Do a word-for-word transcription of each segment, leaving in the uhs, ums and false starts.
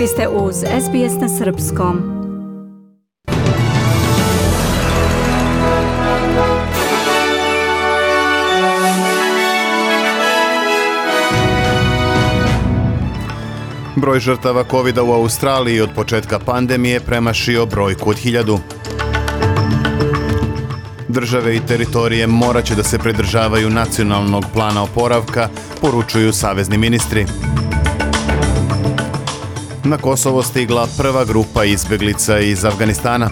Vi ste uz S B S na srpskom. Broj žrtava kovida u Australiji od početka pandemije premašio brojku od hiljadu. Države i teritorije morat će da se pridržavaju nacionalnog plana oporavka, poručuju savezni ministri. Na Kosovo stigla prva grupa izbjeglica iz Afganistana.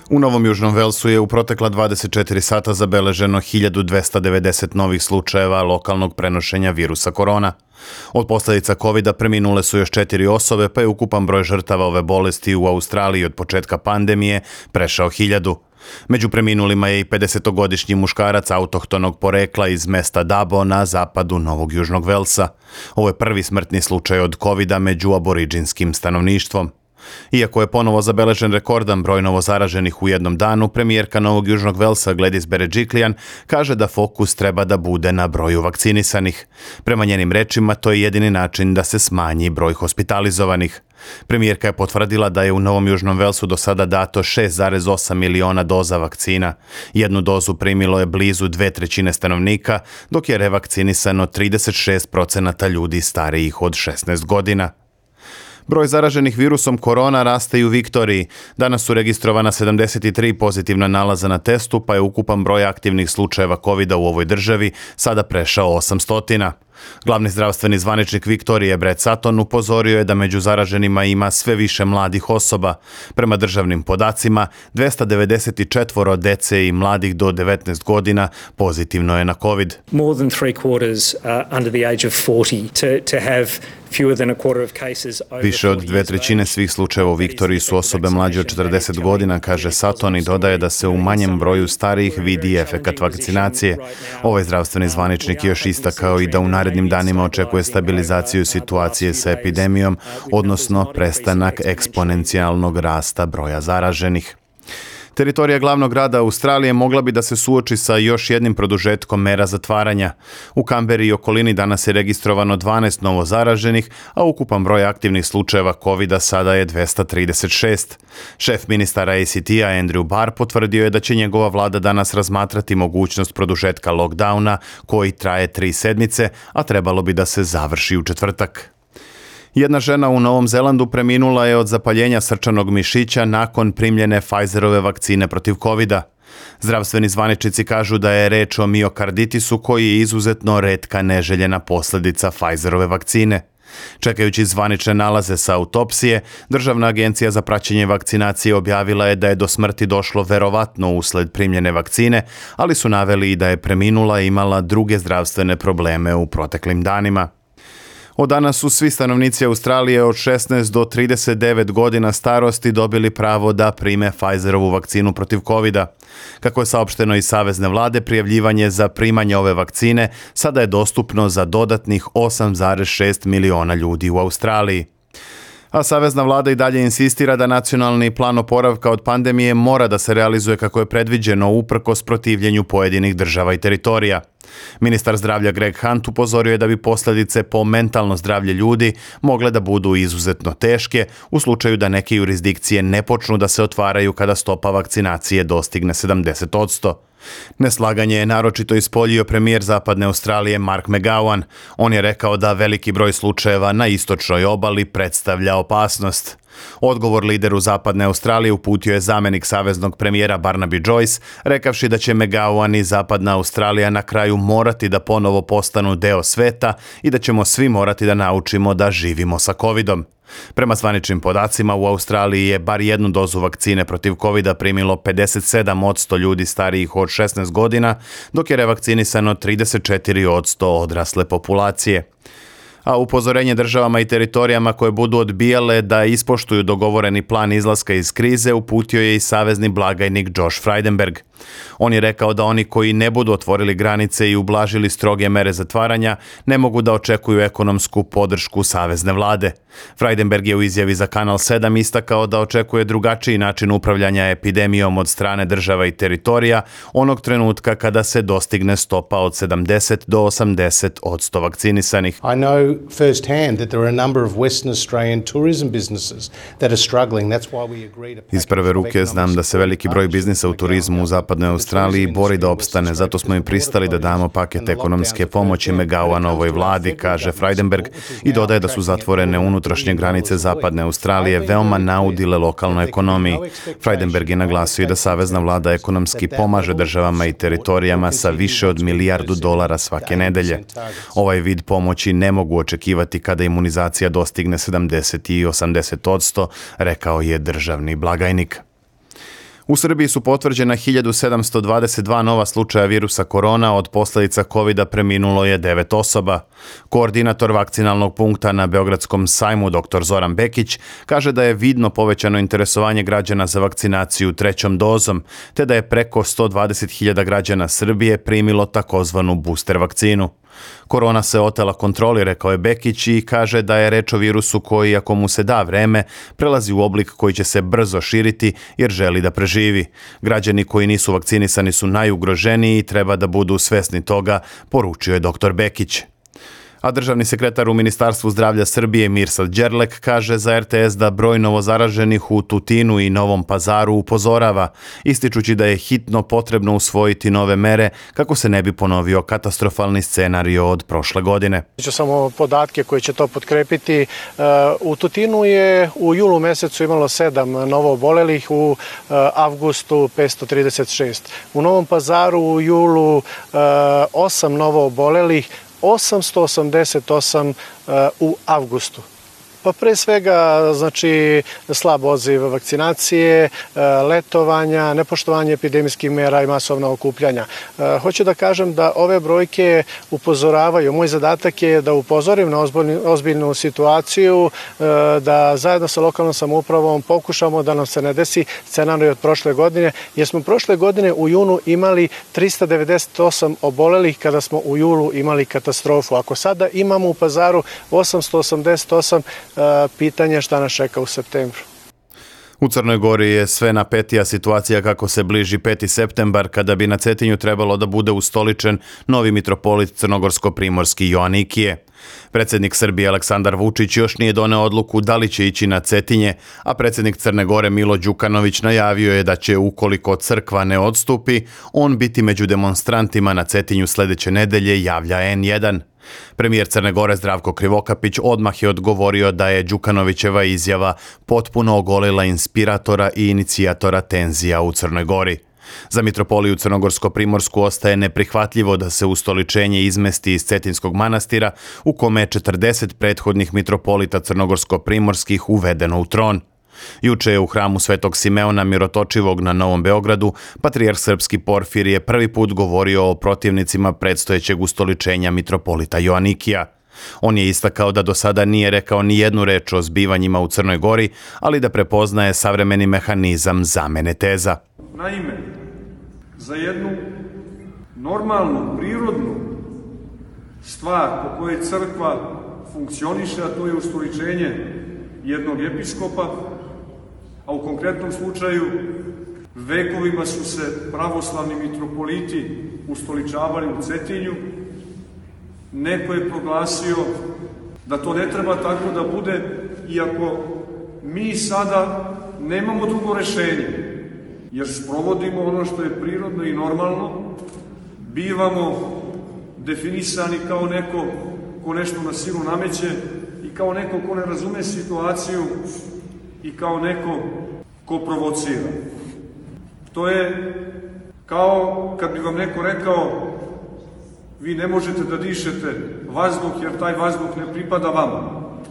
U Novom Južnom Velsu je u protekla dvadeset četiri sata zabeleženo hiljadu dvesta devedeset novih slučajeva lokalnog prenošenja virusa korona. Od posljedica kovida preminule su još četiri osobe, pa je ukupan broj žrtava ove bolesti u Australiji od početka pandemije prešao hiljadu. Među preminulima je i pedesetogodišnji muškarac autohtonog porekla iz mesta Dabo na zapadu Novog Južnog Velsa. Ovo je prvi smrtni slučaj od kovida među aboriđinskim stanovništvom. Iako je ponovo zabeležen rekordan broj novozaraženih u jednom danu, premijerka Novog Južnog Velsa Gladys Berejiklian kaže da fokus treba da bude na broju vakcinisanih. Prema njenim rečima, to je jedini način da se smanji broj hospitalizovanih. Premijerka je potvrdila da je u Novom Južnom Velsu do sada dato šest zarez osam miliona doza vakcina. Jednu dozu primilo je blizu dve trećine stanovnika, dok je revakcinisano trideset šest procenata ljudi starijih od šesnaest godina. Broj zaraženih virusom korona raste i u Viktoriji. Danas su registrovana sedamdeset tri pozitivna nalaza na testu, pa je ukupan broj aktivnih slučajeva kovida u ovoj državi sada prešao osamsto. Glavni zdravstveni zvaničnik Viktorije Brett Sutton upozorio je da među zaraženima ima sve više mladih osoba. Prema državnim podacima, dvesta devedeset četiri dece i mladih do devetnaest godina pozitivno je na COVID. More than three quarters uh, under the age of forty to, to have fewer than a quarter of cases over Više od dve trećine svih slučajeva u Viktoriji su osobe mlađe od četrdeset godina, kaže Sutton i dodaje da se u manjem broju starijih vidi efekat vakcinacije. Ovaj zdravstveni zvaničnik je još istakao i da u narednim danima očekuje stabilizaciju situacije sa epidemijom, odnosno prestanak eksponencijalnog rasta broja zaraženih. Teritorija glavnog grada Australije mogla bi da se suoči sa još jednim produžetkom mera zatvaranja. U Kamberi i okolini danas je registrovano dvanaest novo zaraženih, a ukupan broj aktivnih slučajeva kovida sada je dvesta trideset šest. Šef ministara A C T-a Andrew Barr potvrdio je da će njegova vlada danas razmatrati mogućnost produžetka lockdowna koji traje tri sedmice, a trebalo bi da se završi u četvrtak. Jedna žena u Novom Zelandu preminula je od zapaljenja srčanog mišića nakon primljene Pfizerove vakcine protiv kovida. Zdravstveni zvaničnici kažu da je reč o miokarditisu koji je izuzetno retka neželjena posljedica Pfizerove vakcine. Čekajući zvanične nalaze sa autopsije, Državna agencija za praćenje vakcinacije objavila je da je do smrti došlo verovatno usled primljene vakcine, ali su naveli i da je preminula i imala druge zdravstvene probleme u proteklim danima. Od danas su svi stanovnici Australije od šesnaest do trideset devet godina starosti dobili pravo da prime Pfizerovu vakcinu protiv kovida. Kako je saopšteno iz savezne vlade, prijavljivanje za primanje ove vakcine sada je dostupno za dodatnih osam zarez šest miliona ljudi u Australiji. A savezna vlada i dalje insistira da nacionalni plan oporavka od pandemije mora da se realizuje kako je predviđeno uprkos protivljenju pojedinih država i teritorija. Ministar zdravlja Greg Hunt upozorio je da bi posljedice po mentalno zdravlje ljudi mogle da budu izuzetno teške u slučaju da neke jurisdikcije ne počnu da se otvaraju kada stopa vakcinacije dostigne sedamdeset posto. Neslaganje je naročito ispoljio premijer Zapadne Australije Mark McGowan. On je rekao da veliki broj slučajeva na istočnoj obali predstavlja opasnost. Odgovor lideru Zapadne Australije uputio je zamjenik saveznog premijera Barnaby Joyce, rekavši da će McGowan i Zapadna Australija na kraju morati da ponovo postanu deo sveta i da ćemo svi morati da naučimo da živimo sa covidom. Prema zvaničnim podacima, u Australiji je bar jednu dozu vakcine protiv kovida primilo pedeset sedam posto ljudi starijih od šesnaest godina, dok je revakcinisano trideset četiri posto odrasle populacije. A upozorenje državama i teritorijama koje budu odbijale da ispoštuju dogovoreni plan izlaska iz krize uputio je i savezni blagajnik Josh Frydenberg. On je rekao da oni koji ne budu otvorili granice i ublažili stroge mere zatvaranja ne mogu da očekuju ekonomsku podršku savezne vlade. Frydenberg je u izjavi za Kanal sedam istakao da očekuje drugačiji način upravljanja epidemijom od strane država i teritorija onog trenutka kada se dostigne stopa od sedamdeset do osamdeset odsto vakcinisanih. I know firsthand that there are a number of Western Australian tourism businesses that are struggling. That's why we agreed a Iz prve ruke znam da se veliki broj biznisa u turizmu u zapadnoj Australiji bori da opstane, zato smo im pristali da damo paket ekonomske pomoći Megauanovoj vladi, kaže Frydenberg i dodaje da su zatvorene unutrašnje granice zapadne Australije veoma naudile lokalnoj ekonomiji. Frydenberg je naglasio i da savezna vlada ekonomski pomaže državama i teritorijama sa više od milijardu dolara svake nedelje. Ovaj vid pomoći ne mogu očekivati kada imunizacija dostigne sedamdeset i osamdeset odsto, rekao je državni blagajnik. U Srbiji su potvrđena hiljadu sedamsto dvadeset dva nova slučaja virusa korona, od posljedica kovida preminulo je devet osoba. Koordinator vakcinalnog punkta na Beogradskom sajmu dr Zoran Bekić kaže da je vidno povećano interesovanje građana za vakcinaciju trećom dozom, te da je preko sto dvadeset hiljada građana Srbije primilo takozvanu booster vakcinu. Korona se otela kontroli, rekao je Bekić, i kaže da je reč o virusu koji, ako mu se da vreme, prelazi u oblik koji će se brzo širiti jer želi da preživi. Građani koji nisu vakcinisani su najugroženiji i treba da budu svesni toga, poručio je dr Bekić. A državni sekretar u Ministarstvu zdravlja Srbije Mirsad Đerlek kaže za er te es da broj novozaraženih u Tutinu i Novom Pazaru upozorava, ističući da je hitno potrebno usvojiti nove mere kako se ne bi ponovio katastrofalni scenario od prošle godine. Ću samo podatke koji će to potkrepiti. U Tutinu je u julu mesecu imalo sedam novo obolelih, u avgustu petsto trideset šest. U Novom Pazaru u julu osam novo obolelih, osamsto osamdeset osam u avgustu. Pa pre svega, znači, slab odziv vakcinacije, letovanja, nepoštovanje epidemijskih mera i masovna okupljanja. Hoću da kažem da ove brojke upozoravaju. Moj zadatak je da upozorim na ozbiljnu situaciju, da zajedno sa lokalnom samoupravom pokušamo da nam se ne desi scenarij od prošle godine, jer smo prošle godine u junu imali trista devedeset osam obolelih kada smo u julu imali katastrofu. Ako sada imamo u Pazaru osamsto osamdeset osam, pitanje šta nas čeka u septembru. U Crnoj Gori je sve napetija situacija kako se bliži peti septembar, kada bi na Cetinju trebalo da bude ustoličen novi mitropolit crnogorsko-primorski Joanikije. Predsjednik Srbije Aleksandar Vučić još nije doneo odluku da li će ići na Cetinje, a predsjednik Crne Gore Milo Đukanović najavio je da će, ukoliko crkva ne odstupi, on biti među demonstrantima na Cetinju sljedeće nedelje, javlja en jedan. Premijer Crne Gore Zdravko Krivokapić odmah je odgovorio da je Đukanovićeva izjava potpuno ogolila inspiratora i inicijatora tenzija u Crnoj Gori. Za mitropoliju Crnogorsko-Primorsku ostaje neprihvatljivo da se ustoličenje izmesti iz Cetinskog manastira, u kome je četrdeset prethodnih mitropolita Crnogorsko-Primorskih uvedeno u tron. Juče je u hramu Svetog Simeona Mirotočivog na Novom Beogradu patrijarh srpski Porfirije prvi put govorio o protivnicima predstojećeg ustoličenja mitropolita Joanikija. On je istakao da do sada nije rekao ni jednu reč o zbivanjima u Crnoj Gori, ali da prepoznaje savremeni mehanizam zamene teza. Naime, za jednu normalnu, prirodnu stvar po kojoj crkva funkcioniše, a to je ustoličenje jednog episkopa, a u konkretnom slučaju vekovima su se pravoslavni mitropoliti ustoličavali u Cetinju, neko je proglasio da to ne treba tako da bude, iako mi sada nemamo drugo rešenje, jer sprovodimo ono što je prirodno i normalno, bivamo definisani kao neko ko nešto na silu nameće i kao neko ko ne razume situaciju i kao neko ko provocira. To je kao kad bi vam neko rekao vi ne možete da dišete vazduh jer taj vazduh ne pripada vama,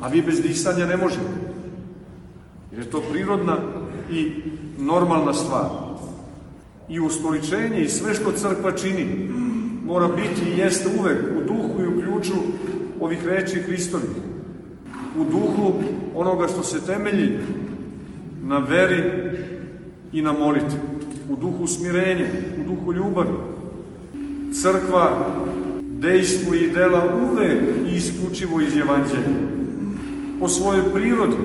a vi bez disanja ne možete. Jer je to prirodna i normalna stvar. I ustoličenje i sve što crkva čini mora biti i jeste uvek u duhu i u ključu ovih reči Hristovih. U duhu onoga što se temelji na veri i na molitvi. u duhu smirenja, u duhu ljubavi. Crkva dejstvo i dela uvek i isključivo iz Evanđelja. Po svojoj prirodi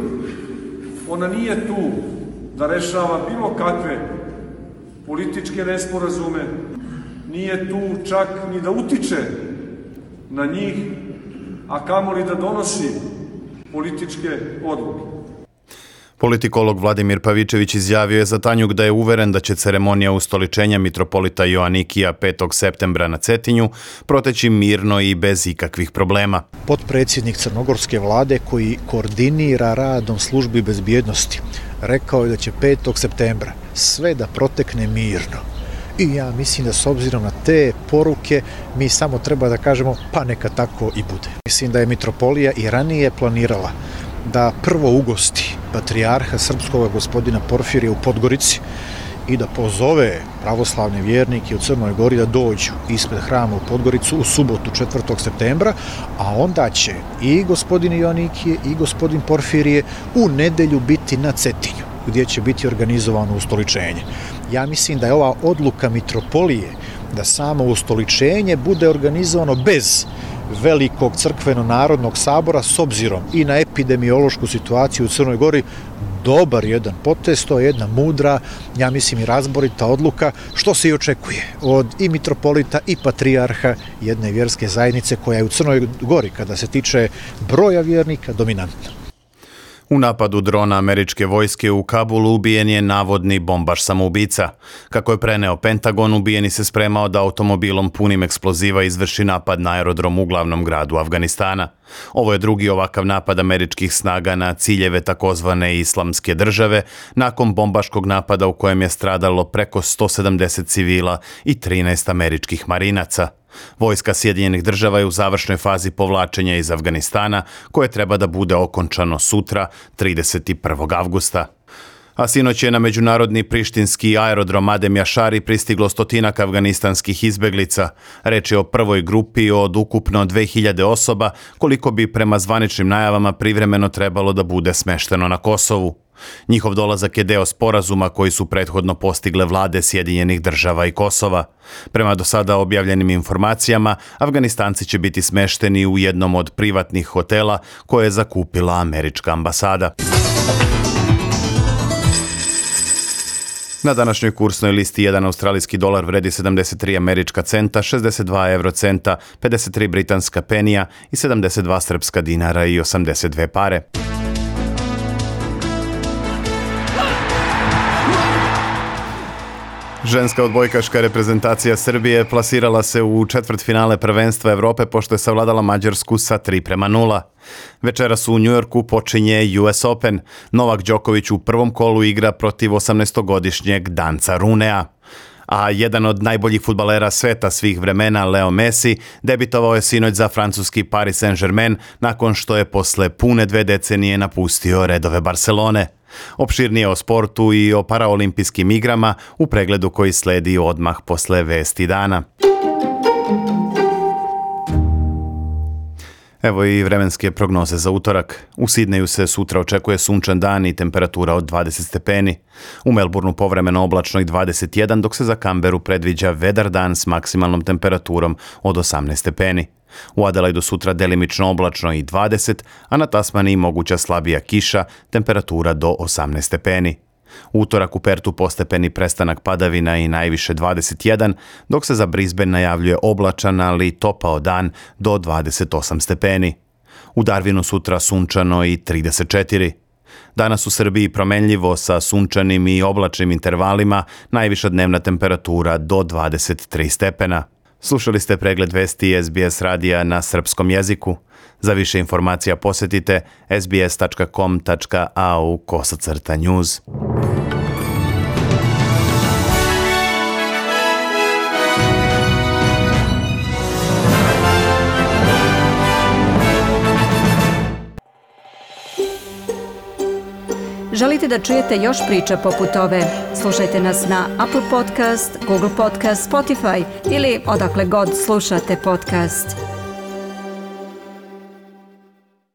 ona nije tu da rešava bilo kakve političke nesporazume, nije tu čak ni da utiče na njih, a kamoli da donosi političke odluke. Politikolog Vladimir Pavičević izjavio je za Tanjuk da je uveren da će ceremonija ustoličenja mitropolita Joanikija petog septembra na Cetinju proteći mirno i bez ikakvih problema. Potpredsjednik crnogorske vlade koji koordinira radom službi bezbjednosti rekao je da će petog septembra sve da protekne mirno. I ja mislim da s obzirom na te poruke mi samo treba da kažemo pa neka tako i bude. Mislim da je mitropolija i ranije planirala da prvo ugosti patrijarha srpskog gospodina Porfirija u Podgorici i da pozove pravoslavne vjernike u Crnoj Gori da dođu ispred hrama u Podgoricu u subotu četvrtog septembra, a onda će i gospodin Joanikije i gospodin Porfirije u nedelju biti na Cetinju, gdje će biti organizovano ustoličenje. Ja mislim da je ova odluka mitropolije da samo ustoličenje bude organizovano bez velikog crkveno-narodnog sabora s obzirom i na epidemiološku situaciju u Crnoj Gori dobar jedan potez, to je jedna mudra, ja mislim i razborita odluka, što se i očekuje od i mitropolita i patrijarha jedne vjerske zajednice koja je u Crnoj Gori, kada se tiče broja vjernika, dominantna. U napadu drona američke vojske u Kabulu ubijen je navodni bombaš samoubica. Kako je preneo Pentagon, ubijeni se spremao da automobilom punim eksploziva izvrši napad na aerodrom u glavnom gradu Afganistana. Ovo je drugi ovakav napad američkih snaga na ciljeve takozvane islamske države, nakon bombaškog napada u kojem je stradalo preko sto sedamdeset civila i trinaest američkih marinaca. Vojska Sjedinjenih država je u završnoj fazi povlačenja iz Afganistana, koje treba da bude okončano sutra, trideset prvog avgusta. A sinoć je na međunarodni prištinski aerodrom Adem Jašari pristiglo stotinak afganistanskih izbeglica. Reč je o prvoj grupi od ukupno dve hiljade osoba, koliko bi prema zvaničnim najavama privremeno trebalo da bude smešteno na Kosovu. Njihov dolazak je deo sporazuma koji su prethodno postigle vlade Sjedinjenih država i Kosova. Prema do sada objavljenim informacijama, Afganistanci će biti smešteni u jednom od privatnih hotela koje je zakupila američka ambasada. Na današnjoj kursnoj listi jedan australijski dolar vredi sedamdeset tri američka centa, šezdeset dva eurocenta, pedeset tri britanska penija i sedamdeset dva srpska dinara i osamdeset dve pare. Ženska odbojkaška reprezentacija Srbije plasirala se u četvrtfinale prvenstva Evrope pošto je savladala Mađarsku sa tri prema nula. Večeras u Njujorku počinje U S Open. Novak Đoković u prvom kolu igra protiv osamnaestogodišnjeg Danca Runea. A jedan od najboljih fudbalera sveta svih vremena, Leo Messi, debitovao je sinoć za francuski Paris Saint-Germain nakon što je posle pune dve decenije napustio redove Barcelone. Opširnije o sportu i o paraolimpijskim igrama u pregledu koji sledi odmah posle vesti dana. Evo i vremenske prognoze za utorak. U Sidneju se sutra očekuje sunčan dan i temperatura od dvadeset stepeni. U Melbourneu povremeno oblačno i dvadeset jedan, dok se za Canberu predviđa vedar dan s maksimalnom temperaturom od osamnaest stepeni. U Adelaidu sutra delimično oblačno i dvadeset, a na Tasmaniji moguća slabija kiša, temperatura do osamnaest stepeni. U utorak u Pertu postepeni prestanak padavina i najviše dvadeset jedan, dok se za Brisbane najavljuje oblačan, ali topao dan do dvadeset osam stepeni. U Darwinu sutra sunčano i trideset četiri. Danas u Srbiji promenljivo sa sunčanim i oblačnim intervalima, najviša dnevna temperatura do dvadeset tri stepena. Slušali ste pregled vesti S B S radija na srpskom jeziku. Za više informacija posjetite s b s tačka com tačka a u kosacrta news. Želite da čujete još priča poput ove? Slušajte nas na Apple Podcast, Google Podcast, Spotify ili odakle god slušate podcast.